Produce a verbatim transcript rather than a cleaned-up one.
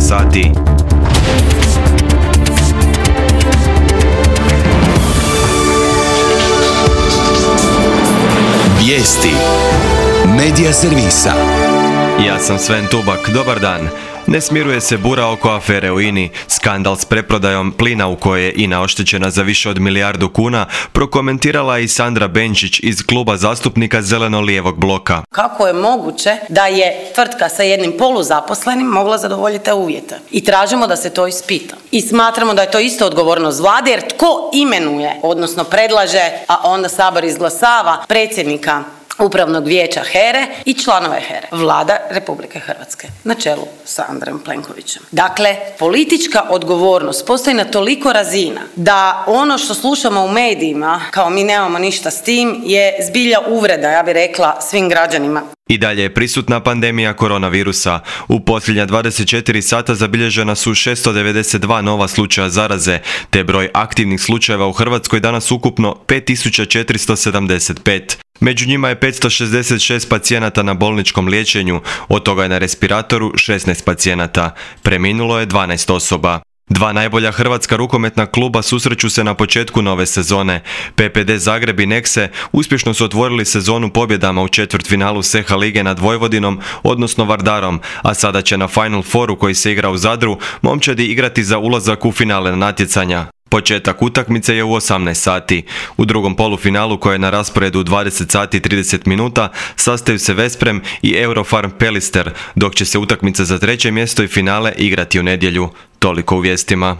sati. Vijesti Medija servisa. Ja sam Sven Tubak, dobar dan. Ne smiruje se bura oko afere u INA-i. Skandal s preprodajom plina u kojoj je INA oštećena za više od milijardu kuna prokomentirala i Sandra Benčić iz kluba zastupnika Zeleno-lijevog bloka. Kako je moguće da je tvrtka sa jednim poluzaposlenim mogla zadovoljiti te uvjete? I tražimo da se to ispita. I smatramo da je to isto odgovornost vlade, jer tko imenuje, odnosno predlaže, a onda Sabor izglasava predsjednika Upravnog vijeća HERE i članove HERE? Vlada Republike Hrvatske na čelu sa Andrejom Plenkovićem. Dakle, politička odgovornost postoji na toliko razina da ono što slušamo u medijima kao mi nemamo ništa s tim je zbilja uvreda, ja bih rekla, svim građanima. I dalje je prisutna pandemija koronavirusa. U posljednja dvadeset četiri sata zabilježena su šesto devedeset dva nova slučaja zaraze, te broj aktivnih slučajeva u Hrvatskoj danas ukupno pet tisuća četiristo sedamdeset pet. Među njima je petsto šezdeset šest pacijenata na bolničkom liječenju, od toga je na respiratoru šesnaest pacijenata. Preminulo je dvanaest osoba. Dva najbolja hrvatska rukometna kluba susreću se na početku nove sezone. P P D Zagreb i Nexe uspješno su otvorili sezonu pobjedama u četvrtfinalu S E H A lige nad Vojvodinom, odnosno Vardarom, a sada će na Final Fouru koji se igra u Zadru momčadi igrati za ulazak u finale natjecanja. Početak utakmice je u osamnaest sati. U drugom polufinalu koje je na rasporedu u dvadeset sati i trideset minuta sastaju se Vesprem i Eurofarm Pelister, dok će se utakmica za treće mjesto i finale igrati u nedjelju. Toliko u vijestima.